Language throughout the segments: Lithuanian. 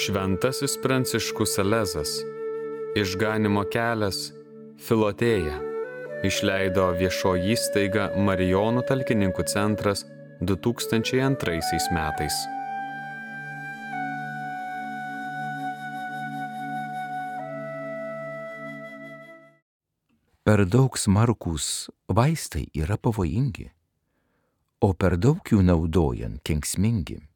Šventasis Pranciškus Salezas, Išganymo kelias, Filotėja, išleido viešoji įstaiga Marijonų talkininkų centras 2002 metais. Per daug smarkūs vaistai yra pavojingi, o per daug jų naudojant kenksmingi.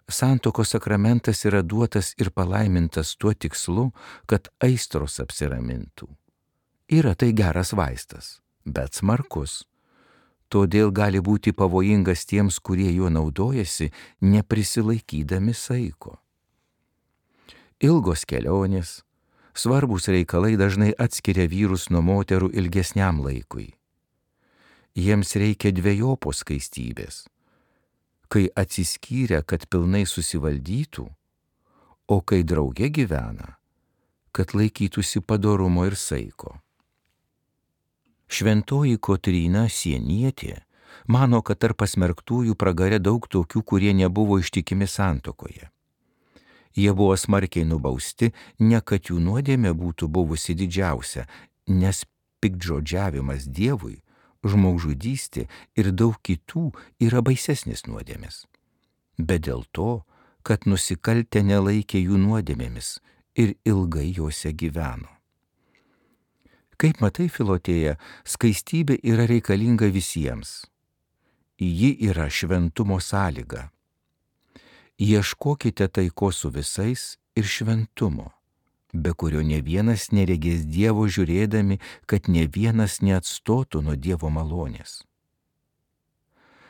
Santuokos sakramentas yra duotas ir palaimintas tuo tikslu, kad aistros apsiramintų. Yra tai geras vaistas, bet smarkus. Todėl gali būti pavojingas tiems, kurie juo naudojasi, neprisilaikydami saiko. Ilgos kelionės, svarbūs reikalai dažnai atskiria vyrus nuo moterų ilgesniam laikui. Jiems reikia dvejopos skaistybės, kai atsiskyrę, kad pilnai susivaldytų, o kai drauge gyvena, kad laikytųsi padorumo ir saiko. Šventoji Kotryna Sienietė mano, kad tarp pasmerktųjų pragare daug tokių, kurie nebuvo ištikimi santuokoje. Jie buvo smarkiai nubausti, ne kad jų nuodėmė būtų buvusi didžiausia, nes piktžodžiavimas Dievui, žmogžudystė ir daug kitų yra baisesnės nuodėmės, bet dėl to, kad nusikaltę nelaikė jų nuodėmėmis ir ilgai jose gyveno. Kaip matai, Filotėja, skaistybė yra reikalinga visiems. Ji yra šventumo sąlyga. Ieškokite taikos su visais ir šventumo, be kurio ne vienas neregės Dievo žiūrėdami, kad ne vienas neatstotų nuo Dievo malonės.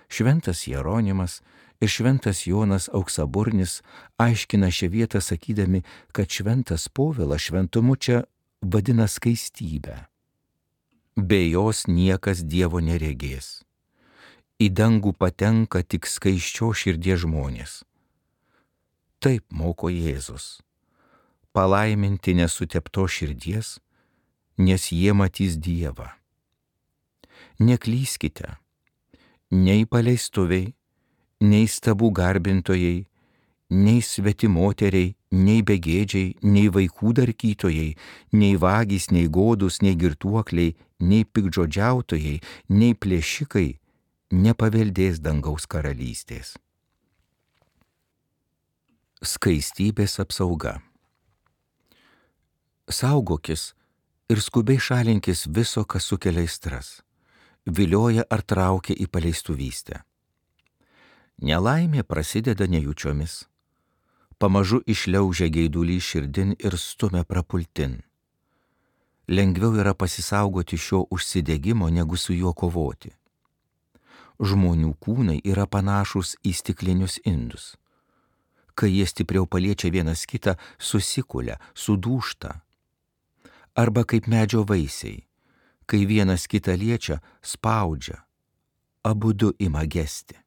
Šventas Jeronimas ir šventas Jonas Auksaburnis aiškina šią vietą sakydami, kad šventas Povilas šventumu čia vadina skaistybę. Be jos niekas Dievo neregės. Į dangų patenka tik skaisčios širdies žmonės. Taip moko Jėzus. Palaiminti nesutepto širdies, nes jie matys Dievą. Neklyskite, nei paleistuviai, nei stabų garbintojai, nei svetimoteriai, nei begėdžiai, nei vaikų darkytojai, nei vagys, nei godūs, nei girtuokliai, nei piktžodžiautojai, nei plėšikai nepaveldės dangaus karalystės. Skaistybės apsauga. Saugokis ir skubiai šalinkis viso, kas sukelia aistras, vilioja ar traukia į paleistuvystę. Nelaimė prasideda nejučiomis, pamažu išliaužia geidulį širdin ir stumia prapultin. Lengviau yra pasisaugoti šio užsidegimo, negu su juo kovoti. Žmonių kūnai yra panašūs į stiklinius indus. Kai jie stipriau paliečia vienas kitą, susikulia, sudūžta. Arba kaip medžio vaisiai, kai vienas kitą liečia, spaudžia, abudu ima gesti.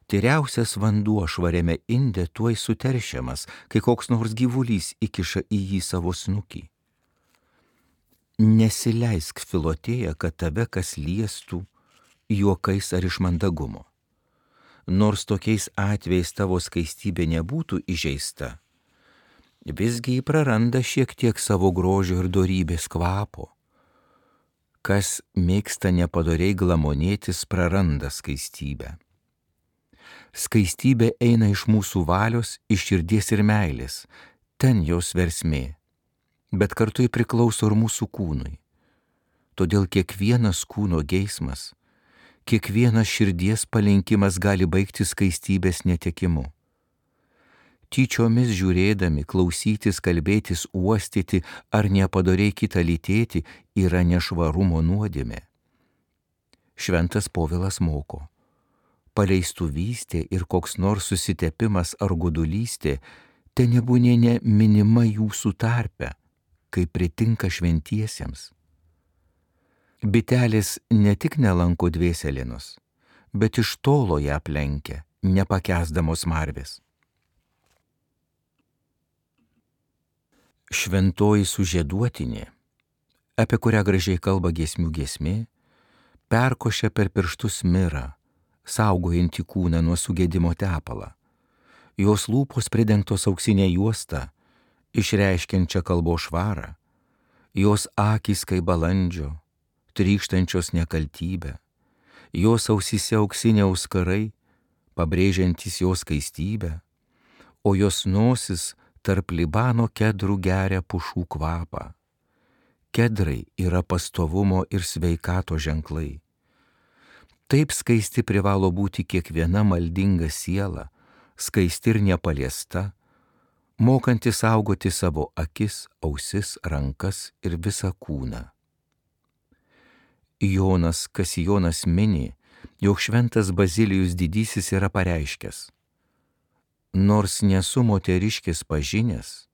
Tyriausias vanduo švariame inde tuoj suteršiamas, kai koks nors gyvulys įkiša į jį savo snukį. Nesileisk, Filotėja, kad tave kas liestų juokais ar iš mandagumo. Nors tokiais atvejais tavo skaistybė nebūtų įžeista, visgi jį praranda šiek tiek savo grožio ir dorybės kvapo. Kas mėgsta nepadoriai glamonėtis, praranda skaistybę. Skaistybė eina iš mūsų valios, iš širdies ir meilės, ten jos versmė, bet kartu ji priklauso ir mūsų kūnui. Todėl kiekvienas kūno geismas, kiekvienas širdies palinkimas gali baigti skaistybės netekimu. Tyčiomis žiūrėdami, klausytis, kalbėtis, uostyti ar nepadoriai kitą lytėti yra nešvarumo nuodėmė. Šventas Povilas moko, paleistuvystė ir koks nors susitepimas ar godulystė te nebūnė ne minima jūsų tarpe, kaip pritinka šventiesiems. Bitelės ne tik nelanko dvėselinos, bet iš tolo ją aplenkia, nepakęsdamos marvės. Šventoji sužieduotinė, apie kurią gražiai kalba giesmių giesmė, perkošia per pirštus mirą, saugojantį kūną nuo sugėdimo tepalą. jos lūpos pridengtos auksinė juosta, išreiškiančia kalbos švarą, jos akys kaip balandžio, trykštančios nekaltybę, jos ausyse auksiniai auskarai, pabrėžiantys jos skaistybę, o jos nosis tarp Libano kedrų geria pušų kvapą. Kedrai yra pastovumo ir sveikato ženklai. Taip skaisti privalo būti kiekviena maldinga siela, skaisti ir nepaliesta, mokanti saugoti savo akis, ausis, rankas ir visą kūną. Jonas Kasijonas mini, jog šventas Bazilijus didysis yra pareiškęs: nors nesu moteriškės pažinęs,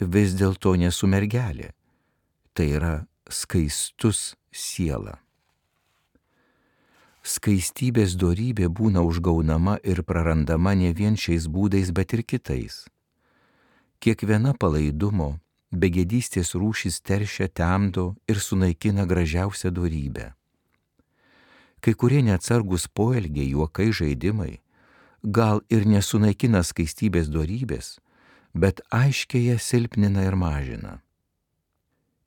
vis dėlto nesu mergelė, tai yra skaistus siela. Skaistybės dorybė būna užgaunama ir prarandama ne vien šiais būdais, bet ir kitais. Kiekviena palaidumo, begėdystės rūšis teršia, temdo ir sunaikina gražiausią dorybę. Kai kurie neatsargus poelgiai, juokai, žaidimai gal ir nesunaikina skaistybės dorybės, bet aiškiai ją silpnina ir mažina.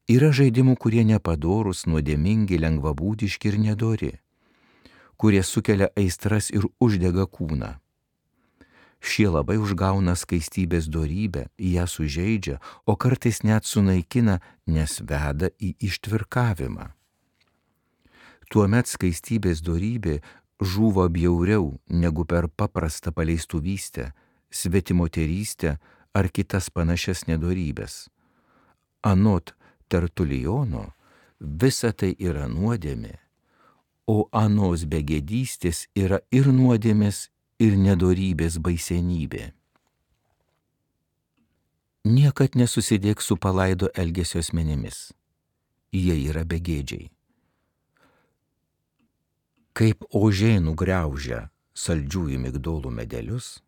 Yra žaidimų, kurie nepadorūs, nuodėmingi, lengvabūdiški ir nedori, kurie sukelia aistras ir uždega kūną. Šie labai užgauna skaistybės dorybę, ją sužeidžia, o kartais net sunaikina, nes veda į ištvirkavimą. Tuomet skaistybės dorybė žūva bjauriau negu per paprastą paleistuvystę, svetimoterystę ar kitas panašias nedorybės. Anot Tertulijono, visa tai yra nuodėmė, o anos begėdystės yra ir nuodėmės, ir nedorybės baisenybė. Niekad nesusidėk su palaido elgesio asmenimis. Jie yra begėdžiai. Kaip ožiai nugriaužia saldžiųjų migdolų medelius,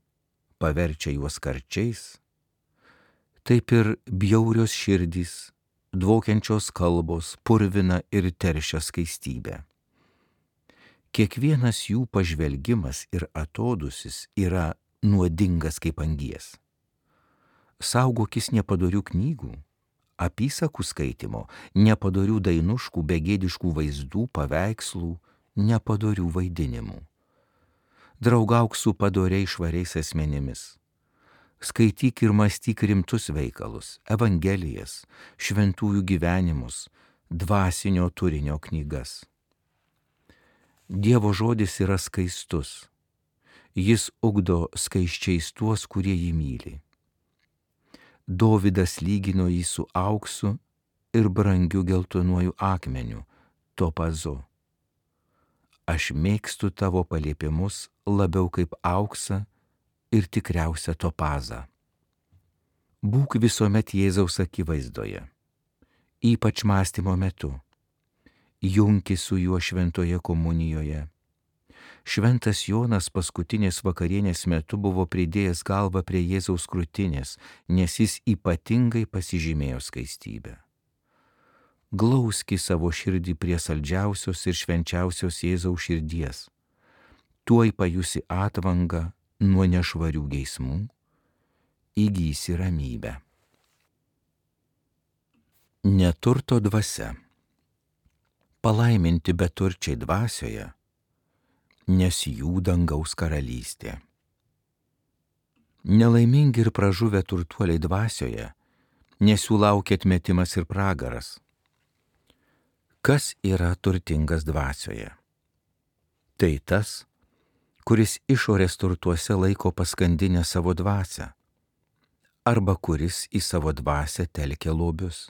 paverčia juos karčiais, taip ir bjaurios širdys, dvokiančios kalbos purvina ir teršia skaistybę. Kiekvienas jų pažvelgimas ir atodūsis yra nuodingas kaip angies. Saugokis nepadorių knygų, apysakų skaitimo, nepadorių dainuškų, begėdiškų vaizdų, paveikslų, nepadorių vaidinimų. Draugauk su padoriai švariais asmenimis. Skaityk ir mąstyk rimtus veikalus, evangelijas, šventųjų gyvenimus, dvasinio turinio knygas. Dievo žodis yra skaistus. Jis ugdo skaisčiais tuos, kurie jį myli. Dovydas lygino jį su auksu ir brangiu geltonuoju akmeniu, topazu. Aš mėgstu tavo paliepimus labiau kaip auksą ir tikriausią topazą. Būk visuomet Jėzaus akivaizdoje, ypač mąstymo metu. Junkis su juo šventoje komunijoje. Šventas Jonas paskutinės vakarienės metu buvo pridėjęs galvą prie Jėzaus krūtinės, nes jis ypatingai pasižymėjo skaistybę. Glauski savo širdį prie saldžiausios ir švenčiausios Jėzaus širdies. Tuoj pajusi atvangą nuo nešvarių geismų, įgysi ramybę. Neturto dvasia. Palaiminti beturčiai dvasioje, nes jų dangaus karalystė. Nelaimingi ir pražuvę turtuoliai dvasioje, nes jų laukia atmetimas ir pragaras. Kas yra turtingas dvasioje? Tai tas, kuris išorės turtuose laiko paskandinę savo dvasią, arba kuris į savo dvasią telkia lobius.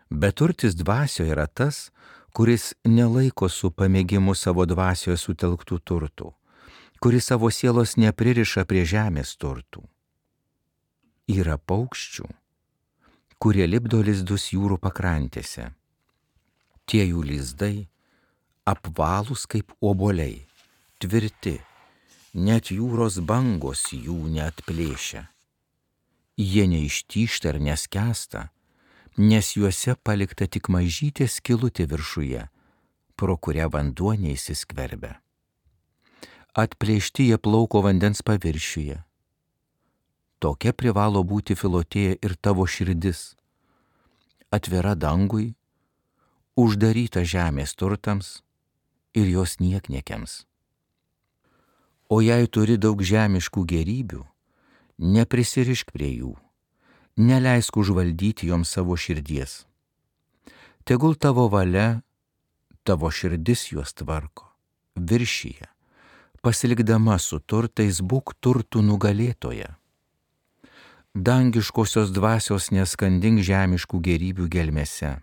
Beturtis dvasioje yra tas, kuris nelaiko su pamėgimu savo dvasioje sutelktų turtų, kuris savo sielos nepririša prie žemės turtų. Yra paukščių, kurie lipdo lizdus jūrų pakrantėse. Tie jų lizdai apvalūs kaip obuoliai, tvirti, net jūros bangos jų neatplėšia. Jie neištyžta ir neskęsta, nes juose palikta tik mažytė skylutė viršuje, pro kurią vanduo neįsiskverbia. Atplėšti jie plauko vandens paviršiuje, Tokia privalo būti, Filotėja, ir tavo širdis. Atvira dangui, uždaryta žemės turtams ir jos niekniekiams. O jei turi daug žemiškų gėrybių, neprisirišk prie jų, neleisk užvaldyti joms savo širdies. Tegul tavo valia, tavo širdis juos tvarko, viršyje, pasilikdama su turtais būk turtų nugalėtoja. Dangiškosios dvasios neskandink žemiškų gėrybių gelmėse.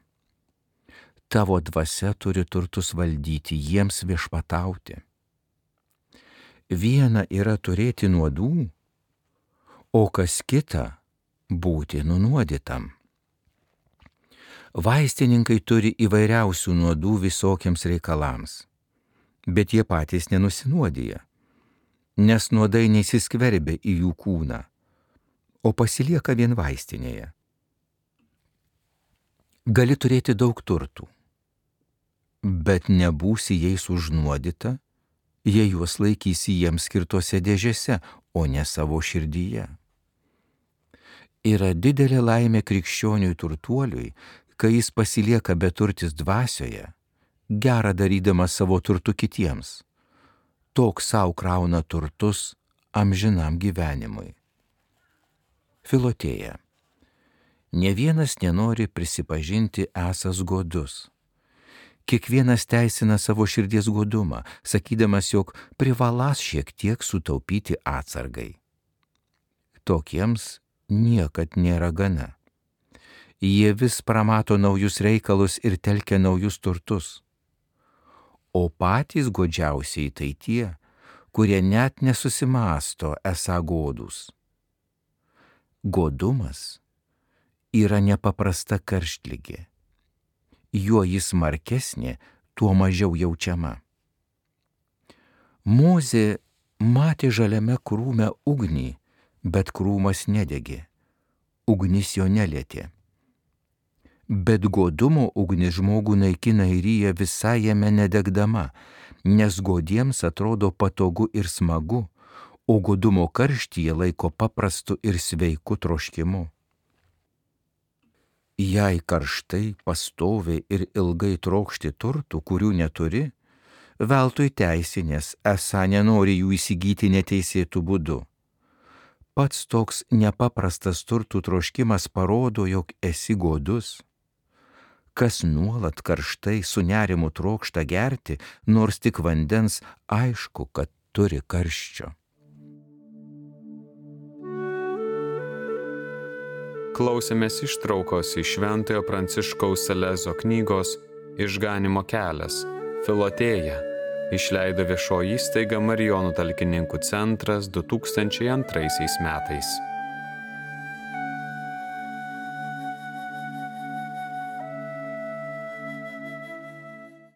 Tavo dvasia turi turtus valdyti, jiems viešpatauti. Viena yra turėti nuodų, o kas kita būti nunuodytam. Vaistininkai turi įvairiausių nuodų visokiems reikalams, bet jie patys nenusinuodija, nes nuodai neįsiskverbia į jų kūną, o pasilieka vien vaistinėje. Gali turėti daug turtų, bet nebūsi jais užnuodyta, jei juos laikysi jiems skirtose dėžėse, o ne savo širdyje. Yra didelė laimė krikščioniui turtuoliui, kai jis pasilieka beturtis dvasioje, gerą darydamas savo turtų kitiems. Toks savo krauna turtus amžinam gyvenimui. Filotėja. Ne vienas nenori prisipažinti esąs godus. Kiekvienas teisina savo širdies godumą, sakydamas, jog privalas šiek tiek sutaupyti atsargai. Tokiems niekad nėra gana. Jie vis pramato naujus reikalus ir telkia naujus turtus. O patys godžiausiai tai tie, kurie net nesusimąsto esą godūs. Godumas yra nepaprasta karštligė. Juo jis smarkesnė, tuo mažiau jaučiama. Mozė matė žaliame krūme ugnį, bet krūmas nedegė. Ugnis jo nelietė. Bet godumo ugnis žmogų naikina ir ryja visai jame nedegdama, nes godiems atrodo patogu ir smagu, o godumo karštyje laiko paprastu ir sveiku troškimu. Jei karštai, pastoviai ir ilgai trokšti turtų, kurių neturi, veltui teisinės, esą nenori jų įsigyti neteisėtų būdu. Pats toks nepaprastas turtų troškimas parodo, jog esi godus. Kas nuolat karštai su nerimu trokšta gerti, nors tik vandens, aišku, kad turi karščio. Klausėmės ištraukos iš Šventojo Pranciškaus Salezo knygos Išganymo kelias – Filotėja, išleido viešoji įstaiga Marijonų talkininkų centras 2002 metais.